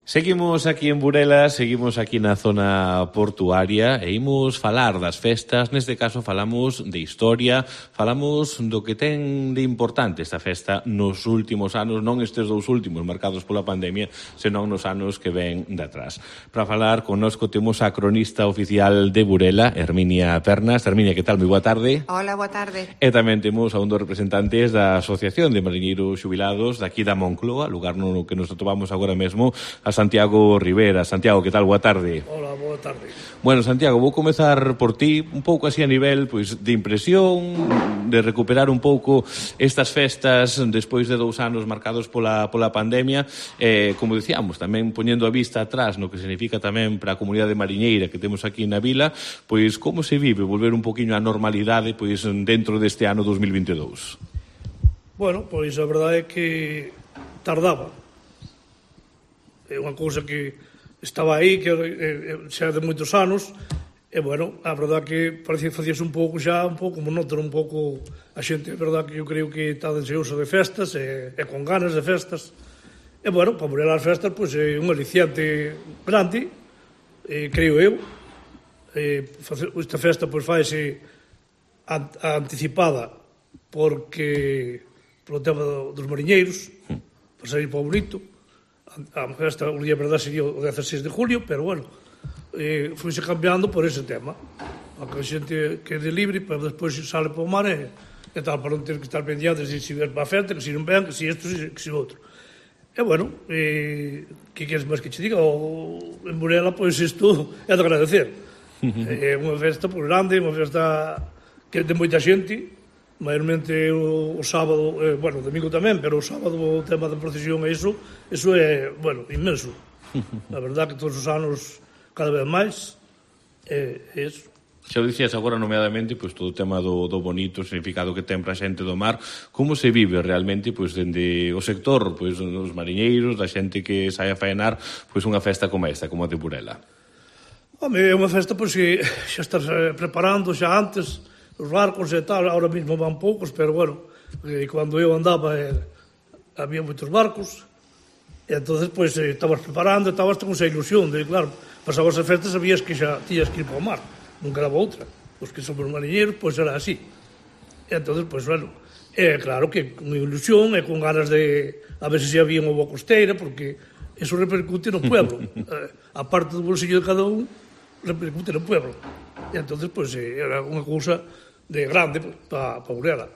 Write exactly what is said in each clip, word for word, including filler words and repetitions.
Seguimos aquí en Burela, seguimos aquí na zona portuaria e imos falar das festas. Neste caso falamos de historia, falamos do que ten de importante esta festa nos últimos anos, non estes dous últimos marcados pola pandemia, senón nos anos que ven de atrás. Para falar connosco temos a cronista oficial de Burela, Herminia Pernas. Herminia, que tal? Moi boa tarde. Hola, boa tarde. E tamén temos a un dos representantes da Asociación de Mariñeiros Xubilados daqui da Moncloa, lugar no que nos atopamos agora mesmo, a Santiago Rivera. Santiago, que tal? Boa tarde. Hola, boa tarde. Bueno, Santiago, vou comezar por ti, un pouco así a nivel pois, de impresión, de recuperar un pouco estas festas despois de dous anos marcados pola, pola pandemia, eh, como dicíamos, tamén poñendo a vista atrás no que significa tamén para a comunidade mariñeira que temos aquí na vila, pois como se vive volver un poquinho á normalidade pois dentro deste ano dos mil vinte e dous? Bueno, pois a verdade é que tardaba. É unha cousa que estaba aí, que eh, xa de moitos anos, e, bueno, a verdade que parecía facíase un pouco xa, un pouco monótono, un pouco a xente, a verdade que eu creo que está deseosa de festas e, e con ganas de festas. E, bueno, para morir as festas, pois é un aliciante grande, eh, creo eu. Eh, esta festa, pois, faise anticipada porque polo tema dos mariñeiros, para sair para o bonito. A festa, o día de verdade, sería o dieciséis de julio, pero, bueno, eh, foise cambiando por ese tema. A que a xente quede libre, pero despois sale para o mar e, e tal, para non ter que estar pendientes de se ver para a festa, que se non ven, que se isto, que se outro. E, bueno, eh, que queres máis que che diga? O, en Burela, pois, isto é de agradecer. É unha festa por grande, unha festa que de moita xente, maiormente o, o sábado, eh, bueno, o domingo tamén, pero o sábado o tema da procesión e iso, iso é, bueno, inmenso. A verdade que todos os anos cada vez máis é, é iso. Xa o dicías agora nomeadamente pois, todo o tema do, do bonito, o significado que ten para a xente do mar. Como se vive realmente pois, dende o sector pois, dos mariñeiros, da xente que sai a faenar pois, unha festa como esta, como a de Burela? Home, é unha festa pois, que xa estás preparando xa antes, os barcos e tal, ahora mesmo van poucos, pero, bueno, eh, cando eu andaba eh, había moitos barcos, e entonces pois, eh, estabas preparando, estabas con esa ilusión de, claro, pasabas as festas, sabías que xa tías que ir para o mar, non quedaba outra. Os que somos mariñeiros, pois era así. E entonces, pois, bueno, é claro que con ilusión e con ganas de a ver se se había unha boa costeira, porque eso repercute no pueblo. eh, a parte do bolsillo de cada un, repercute no pueblo. E entonces, pois, eh, era unha cousa de grande para pa Burela.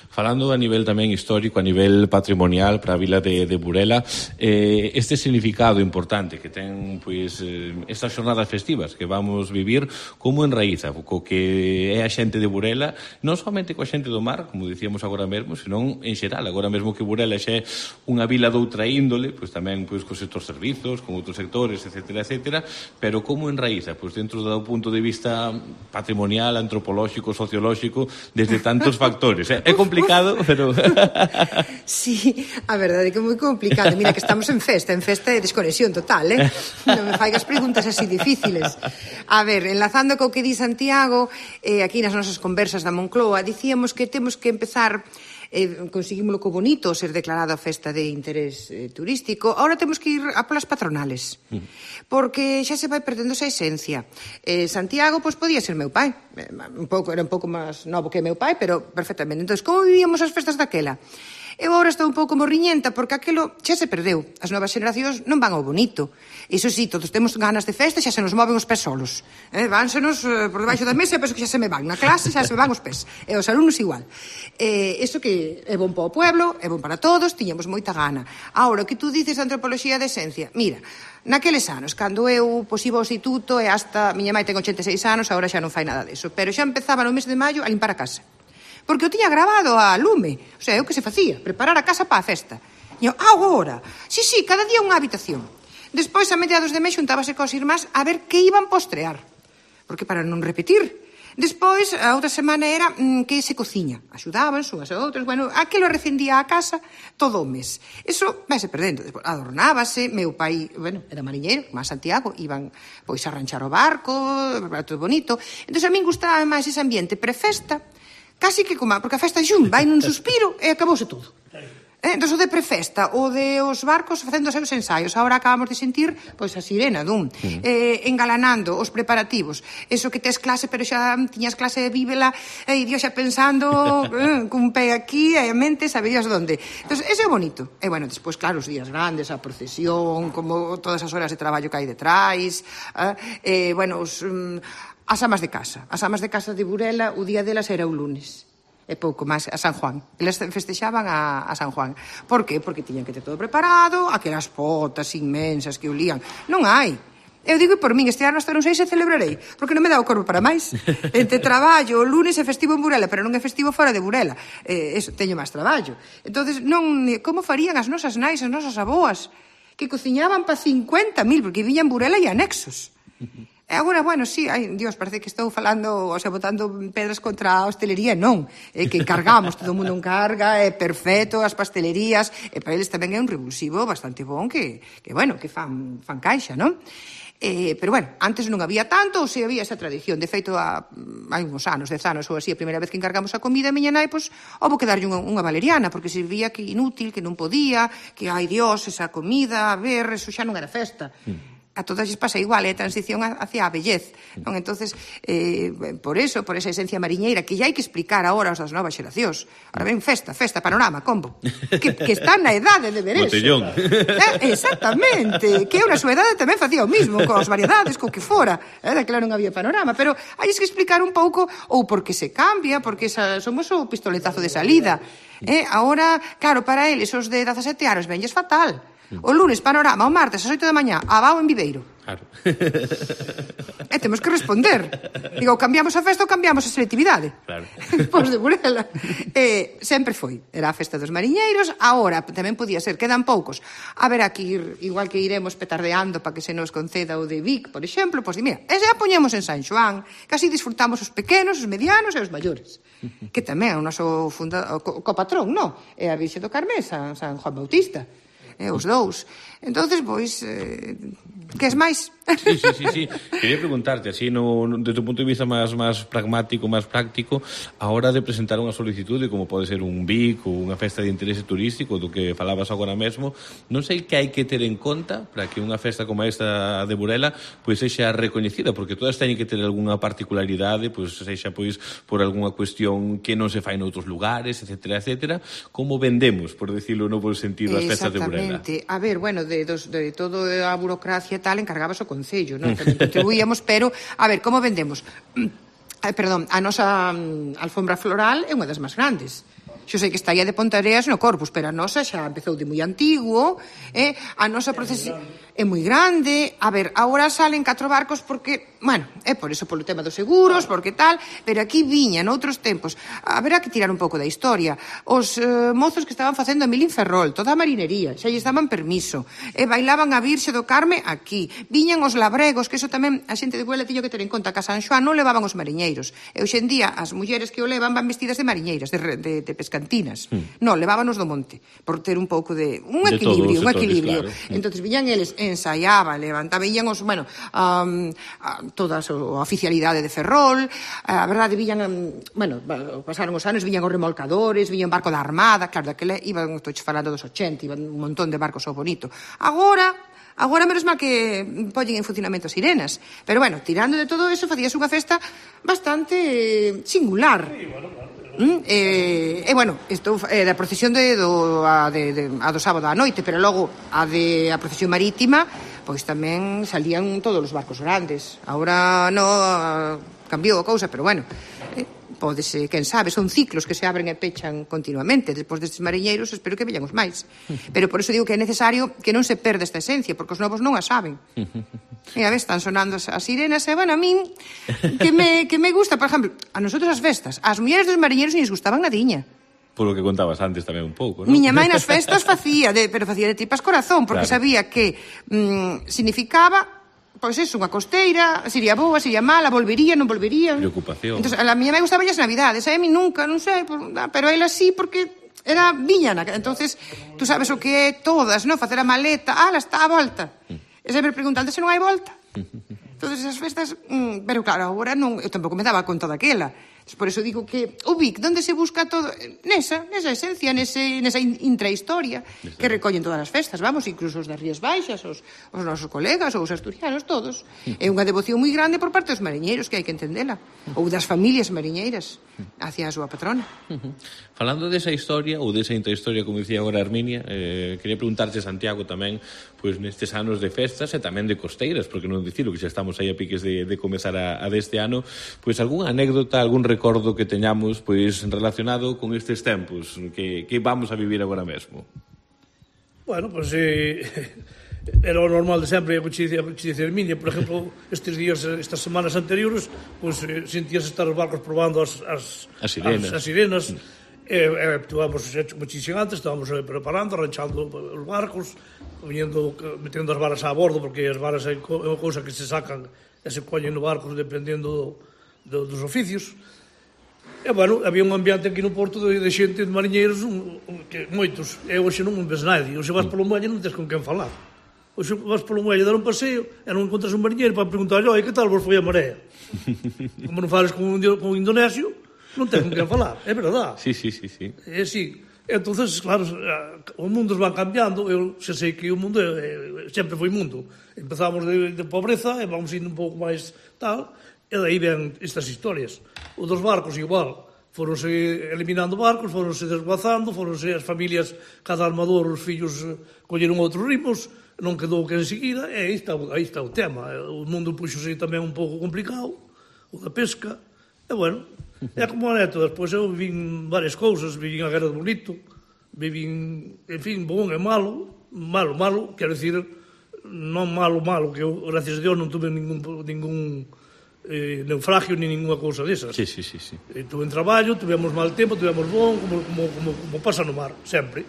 Falando a nivel tamén histórico, a nivel patrimonial para a vila de, de Burela, eh, este significado importante que ten pois, eh, estas xornadas festivas que vamos vivir, como enraíza co que é a xente de Burela, non somente coa xente do mar, como dicíamos agora mesmo, senón en xeral, agora mesmo que Burela xa é unha vila doutra índole, pois tamén pois, cos sectores servizos, con outros sectores, etcétera, etcétera, pero como enraíza, pois dentro do punto de vista patrimonial, antropolóxico, sociolóxico, desde tantos factores, eh? É complicado, pero... Sí, a verdade é que é moi complicado. Mira que estamos en festa, en festa de desconexión total, eh? Non me faigas preguntas así difíciles. A ver, enlazando co que di Santiago, eh, aquí nas nosas conversas da Moncloa, dicíamos que temos que empezar... Eh, conseguímoslo co bonito ser declarada festa de interés eh, turístico. Ahora temos que ir a polas patronales, porque xa se vai perdendo esa esencia. eh, Santiago, pois, podía ser meu pai, eh, un pouco, era un pouco máis novo que meu pai, pero perfectamente. Entón, como vivíamos as festas daquela? Eu agora estou un pouco morriñenta porque aquilo xa se perdeu. As novas xeracións non van ao bonito. Iso sí, todos temos ganas de festa, xa se nos moven os pés solos. Eh, vánsenos eh, por debaixo da mesa e penso que xa se me van. Na clase xa se me van os pés. E os alumnos igual. Eh, iso que é bon para o pueblo, é bon para todos, tiñamos moita gana. Ahora, o que tú dices de antropoloxía de esencia, mira, naqueles anos, cando eu pois, iba ao instituto e hasta, miña mãe ten ochenta e seis anos, agora xa non fai nada deso, pero xa empezaba no mes de maio a limpar a casa. Porque eu tiña grabado a lume, o sea, eu que se facía, preparar a casa para a festa. E eu, agora, sí, sí, cada día unha habitación. Despois, a mediados de mes, xuntábase cos irmás a ver que iban postrear, porque para non repetir. Despois, a outra semana era mm, que se cociña. Axudaban unhas a outras, bueno, aquilo recendía a casa todo o mes. Eso vai se perdendo. Despois, adornábase, meu pai, bueno, era mariñeiro, máis Santiago, iban pois a ranchar o barco, todo bonito. Entón, a min gustaba máis ese ambiente prefesta, casi que como, porque a festa xun vai nun suspiro e acabouse todo. Entón, o de prefesta, o de os barcos facendo os seus ensaios. Agora acabamos de sentir, pois, a sirena dun. Mm. Eh, engalanando os preparativos. Eso que tes clase, pero xa tiñas clase de bíbela, e Dios xa pensando, eh, cun pé aquí, e a mente saberías onde. Entón, ese é bonito. E, bueno, despois, claro, os días grandes, a procesión, como todas as horas de traballo que hai detrás, eh, eh, bueno, os, um, as amas de casa. As amas de casa de Burela, o día delas era o lunes. E pouco máis, a San Juan. Eles festexaban a, a San Juan. Por qué? Porque tiñan que ter todo preparado, aquelas potas inmensas que olían. Non hai. Eu digo por min, este ano hasta non sei se celebrarei, porque non me dá o corpo para máis. Entre traballo, o lunes é festivo en Burela, pero non é festivo fora de Burela. Eh, eso, teño máis traballo. Entonces, non, como farían as nosas nais, as nosas aboas, que cociñaban pa cincuenta mil, porque viñan Burela e anexos. E agora, bueno, sí, ai, Dios, parece que estou falando, o sea, botando pedras contra a hostelería, non. É que encargamos, todo o mundo encarga, é perfecto, as pastelerías, e para eles tamén é un revulsivo bastante bon que, que bueno, que fan, fan caixa, non? Eh, pero, bueno, antes non había tanto, ou se había esa tradición. De feito, a, hai uns anos, dez anos ou así, a primeira vez que encargamos a comida, a miña nai, pois, houve que darlle unha, unha valeriana, porque se vía que inútil, que non podía, que, ai, Dios, esa comida, a ver, eso xa non era festa. Mm. A todas lles pasa igual, é a transición hacia a vellez, non? Entonces, eh, por eso, por esa esencia mariñeira, que ya hai que explicar agora aos das novas xeracións. Ahora ven, festa, festa, panorama, combo. Que, que están na edade de ver eso. Botellón. Eh, exactamente. Que eu na súa edade tamén facía o mismo, coas variedades, co que fora. Era claro, non había panorama, pero hai que explicar un pouco, ou porque se cambia, porque esa, somos o pistoletazo de salida. Eh, agora, claro, para eles, os de dezasete anos, venlles fatal. O lunes, panorama, o martes, ás oito da mañá, abao en Viveiro. Claro. E temos que responder. Digo, cambiamos a festa ou cambiamos a selectividade? Claro. Pois de Burela. Eh, sempre foi. Era a festa dos mariñeiros. Agora tamén podía ser. Quedan poucos. A ver, aquí, igual que iremos petardeando para que se nos conceda o de Vic, por exemplo, pois, mira, ese a poñemos en San Xoán. Casi disfrutamos os pequenos, os medianos e os maiores. Que tamén é o noso funda... co, co patrón, non? É a Virxe do Carmé, San, San Juan Bautista. Eh, os dous. Entonces, pois, eh, que es máis? Sí, sí, sí, sí. Quería preguntarte, así, no, no, desde o punto de vista máis, máis pragmático, máis práctico, a hora de presentar unha solicitude, como pode ser un Vic ou unha festa de interese turístico, do que falabas agora mesmo, non sei que hai que ter en conta para que unha festa como esta de Burela pois sexa recoñecida, porque todas teñen que ter algunha particularidade, pois sexa pois por algunha cuestión que non se fai noutros lugares, etcétera, etcétera. Como vendemos, por decirlo no bo sentido, as festas de Burela? Exactamente. A ver, bueno, de, dos, de todo a burocracia e tal, encargabas o Concello, non? Tamén contribuíamos, pero, a ver, como vendemos? Eh, perdón, a nosa um, alfombra floral é unha das máis grandes. Xo sei que está aí de Pontareas no Corpus, pero a nosa xa empezou de moi antigo, eh? A nosa procesión é moi grande. A ver, agora salen catro barcos porque, bueno, é por eso, polo tema dos seguros, porque tal, pero aquí viña noutros tempos. Haberá que tirar un pouco da historia. Os eh, mozos que estaban facendo a mil en Ferrol, toda a marinería, xa lles daban permiso, e bailaban a Virxe do Carme aquí. Viñan os labregos, que eso tamén a xente de Burela tiño que ter en conta, que a San Xoán non levaban os mariñeiros. E hoxe en día as mulleres que o levan van vestidas de mariñeiras, de, de, de pescantinas. Mm. Non, levábanos do monte, por ter un pouco de... Un de equilibrio, un sectores, equilibrio. Claro. Entonces viñan eles, ensaiaban, levantaban, viñan os, bueno, um, toda a oficialidade de Ferrol, a verdade, viñan, bueno, pasaron os anos, viñan os remolcadores, viñan barco da Armada, claro, daquela iban, estou falando dos ochenta, iban un montón de barcos ao bonito. Agora... Agora, menos mal que poñen en funcionamento as sirenas. Pero, bueno, tirando de todo eso, facías unha festa bastante singular. Mm, e, e, bueno, isto é da procesión de, do, a, de, de, a do sábado á noite, pero logo a de a procesión marítima, pois tamén salían todos os barcos grandes. Agora no cambiou a cousa, pero, bueno... Eh, Pódese, quen sabe, son ciclos que se abren e pechan continuamente. Despois destes mariñeiros espero que veñan os máis. Pero por eso digo que é necesario que non se perda esta esencia, porque os novos non a saben. E a vez están sonando as, as sirenas, e bueno, a min que me, que me gusta, por exemplo, a nosotros as festas, as mulleres dos mariñeiros non les gustaban nadiña. Por lo que contabas antes tamén un pouco, non? Miña mãe nas festas facía, de, pero facía de tripas corazón, porque claro, sabía que mm, significaba... Pois é, unha costeira, sería boa, sería mala, volvería, non volvería. Preocupación. Entón, a miña mãe gustaba as navidades, a mí nunca, non sei, pero a ela sí, porque era viñana. Entonces, tú sabes o que é todas, non? Facer a maleta, ala, está a volta. E sempre preguntante se non hai volta. Entonces, esas festas, mm, pero claro, agora non, eu tampouco me daba conta daquela. Por eso digo que o Vic, onde se busca todo? Nesa, nesa esencia, nese, nesa intrahistoria que recollen todas as festas, vamos, incluso os das Rías Baixas, os, os nosos colegas, ou os asturianos, todos. É unha devoción moi grande por parte dos mariñeiros, que hai que entendela, ou das familias mariñeiras hacia a súa patrona. Falando desa historia, ou desa intrahistoria, como dicía agora Herminia, eh, quería preguntarche, Santiago, tamén, pois nestes anos de festas e tamén de costeiras, porque non dicilo que xa estamos aí a piques de, de comezar a, a deste ano, pois algunha anécdota, algún recordo que teñamos pois relacionado con estes tempos que, que vamos a vivir agora mesmo. Bueno, pois pues, eh, era o normal de sempre, a coincidencia de Herminia, por exemplo, estes días, estas semanas anteriores, pois pues, eh, sentías estar os barcos probando as, as, as sirenas, as, as sirenas. E, e actuamos como dixen antes, estábamos preparando, arranchando os barcos, viñendo, metendo as varas a bordo, porque as varas é unha cousa que se sacan e se poñen no barco dependendo do, do, dos oficios. E, bueno, había un ambiente aquí no Porto de, de xente, de mariñeiros, un, un, que moitos. E hoxe non ves nadie. Hoxe vas polo muelle e non tens con quen falar. Hoxe vas polo muelle dar un paseo e non encontras un mariñeiro para preguntar, oi, que tal vos foi a marea? Como non fales con un, con un indonesio, non ten con quen falar, é verdade. Sí, sí, sí, sí. É así. Entonces, claro, os mundos van cambiando. Eu xa sei que o mundo é, é, sempre foi mundo. Empezamos de, de pobreza e vamos indo un pouco máis tal, e daí ven estas historias. O dos barcos igual, foronse eliminando barcos, foronse desguazando, foronse as familias, cada armador, os fillos colleron outros ritmos, non quedou que enseguida, e aí está, aí está o tema. O mundo puxose tamén un pouco complicado, o da pesca, e bueno, é como a neto, despois eu vin varias cousas, vin a Guerra do Bonito, vin, en fin, bon e malo, malo, malo, quero dicir, non malo, malo, que eu, gracias a Dios, non tuve ningún, ningún eh, naufragio, ni ninguna cousa desas. Sí, sí, sí, sí. Eh, tuve en traballo, tuvemos mal tempo, tuvemos bon, como, como, como, como pasa no mar, sempre.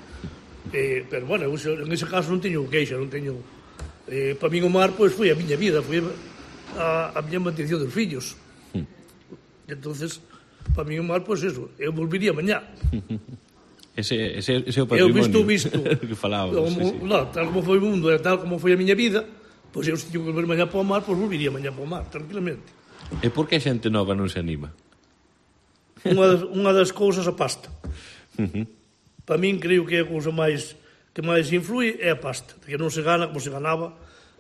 Eh, pero, bueno, eu, en ese caso non teño queixa, non teño... Eh, para min o mar, pois, foi a miña vida, foi a, a miña mantención dos fillos. Mm. Entonces, para min o mar, pois, eso, eu volvería mañá. Ese, ese, ese é o patrimonio. Eu visto, visto. que falábamos, como, sí, sí. No, tal como foi o mundo, e tal como foi a miña vida, pois eu se teño que volver mañá para o mar, pois volvería mañá para o mar, tranquilamente. E por que a xente nova non se anima? Unha das, unha das cousas a pasta. Uh-huh. Para min, creo que é a cousa máis que máis influi é a pasta, que non se gana como se ganaba.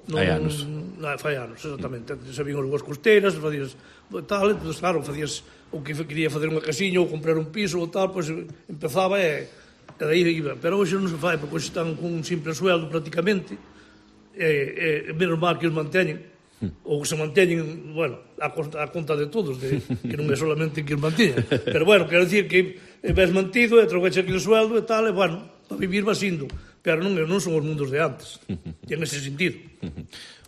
Non, hai anos. Non, fai anos, exactamente. Sabían as costeiras, facías tal, entón, claro, facías o que quería facer unha casiña ou comprar un piso ou tal, pois empezaba e, e daí iba. Pero hoxe non se fai, porque hoxe están con un simple sueldo prácticamente, e, e menos mal que os manteñen, ou se manteñen, bueno, a conta, a conta de todos, de, que non é solamente que os manteñen. Pero, bueno, quero dicir que ves mantido e troveche aquí o sueldo e tal, e, bueno, para vivir vas indo. Pero non, non son os mundos de antes, en ese sentido.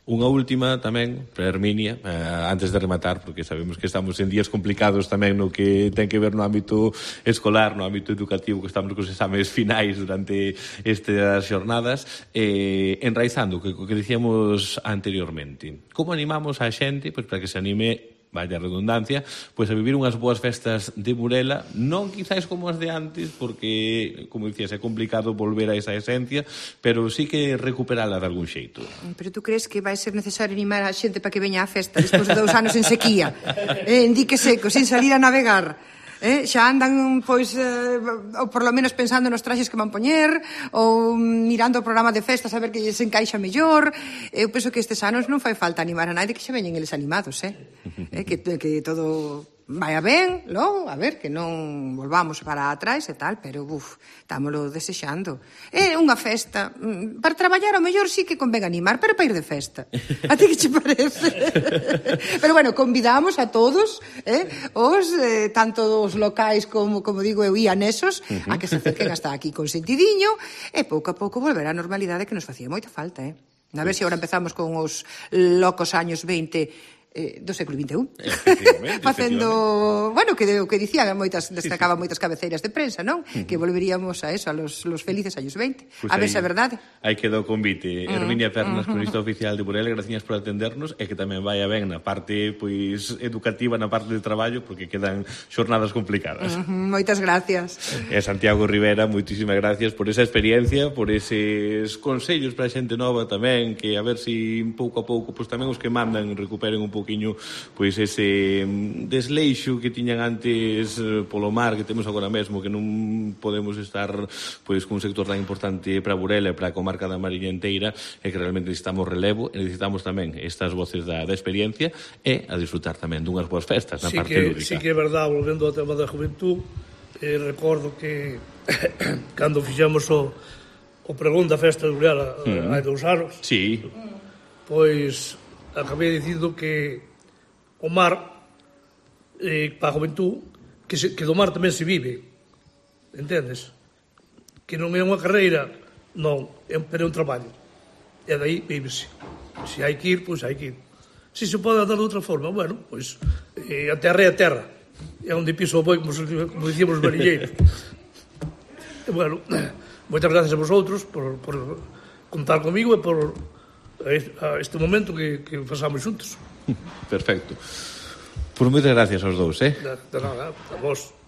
Unha última tamén para Herminia, eh, antes de rematar, porque sabemos que estamos en días complicados tamén no que ten que ver no ámbito escolar, no ámbito educativo, que estamos cos exames finais durante estas xornadas, eh, enraizando o que, que dicíamos anteriormente. Como animamos a xente pois, para que se anime, vaya redundancia, pois a vivir unhas boas festas de Burela, non quizáis como as de antes, porque, como dicías, é complicado volver a esa esencia, pero sí que recuperala de algún xeito. Pero tú crees que vai ser necesario animar a xente para que veña á festa despois de dous anos en sequía, eh, en dique seco, sin salir a navegar? Eh, xa andan, pois, eh, ou por lo menos pensando nos traxes que van poñer, ou mirando o programa de festas a ver que se encaixa mellor. Eu penso que estes anos non fai falta animar a nadie, que xa veñen eles animados, eh? eh que, que todo vai a ben, logo, a ver, que non volvamos para atrás e tal, pero, uf, estámoslo desexando. É unha festa, para traballar ao mellor sí que convén animar, pero para ir de festa. A ti que che parece? Pero, bueno, convidamos a todos, eh, os, eh, tanto os locais como, como digo eu, ian esos, uh-huh. a que se acerquen hasta aquí con sentidiño, e pouco a pouco volver á normalidade que nos facía moita falta, eh? A ver se agora empezamos con os locos años veinte Eh, do século vinte e un. Facendo, bueno, que o que dicían moitas, destacaban sí, sí. moitas cabeceiras de prensa, non? Uh-huh. Que volveríamos a eso, a los, los felices años veinte. Pues a ver se é verdade. Aí quedou o convite. Uh-huh. Herminia Pernas, uh-huh. cronista oficial de Burela, gracias por atendernos e que tamén vaya ben na parte pois educativa, na parte de traballo, porque quedan xornadas complicadas. Uh-huh. Moitas gracias. E Santiago Rivera, moitísimas gracias por esa experiencia, por eses consellos para a xente nova tamén, que a ver se si pouco a pouco, pois tamén os que mandan recuperen un pouco poquinho pois ese desleixo que tiñan antes polo mar que temos agora mesmo, que non podemos estar pois cun sector tan importante para Burela e para a comarca da Mariña inteira, e que realmente necesitamos relevo e necesitamos tamén estas voces da, da experiencia e a disfrutar tamén dunhas boas festas na sí parte que, lúdica. Sí que é verdade, volvendo ao tema da juventud, eh, recordo que cando fixemos o o pregón da festa de Burela mm. hai dous anos, sí. pois acabei dicindo que o mar eh, para a juventud que, se, que do mar tamén se vive, entendes? Que non é unha carreira, non, é, pero é un traballo, e daí vívese. Se hai que ir, pois hai que ir. Se se pode dar de outra forma, bueno, pois eh, a terra é a terra, é onde piso o boi, como, como dicíamos os marinheiros. E bueno, moitas gracias a vosotros por, por contar comigo e por a este momento que, que pasamos xuntos. Perfecto. Por moitas gracias aos dous, eh? De, de nada, a vos.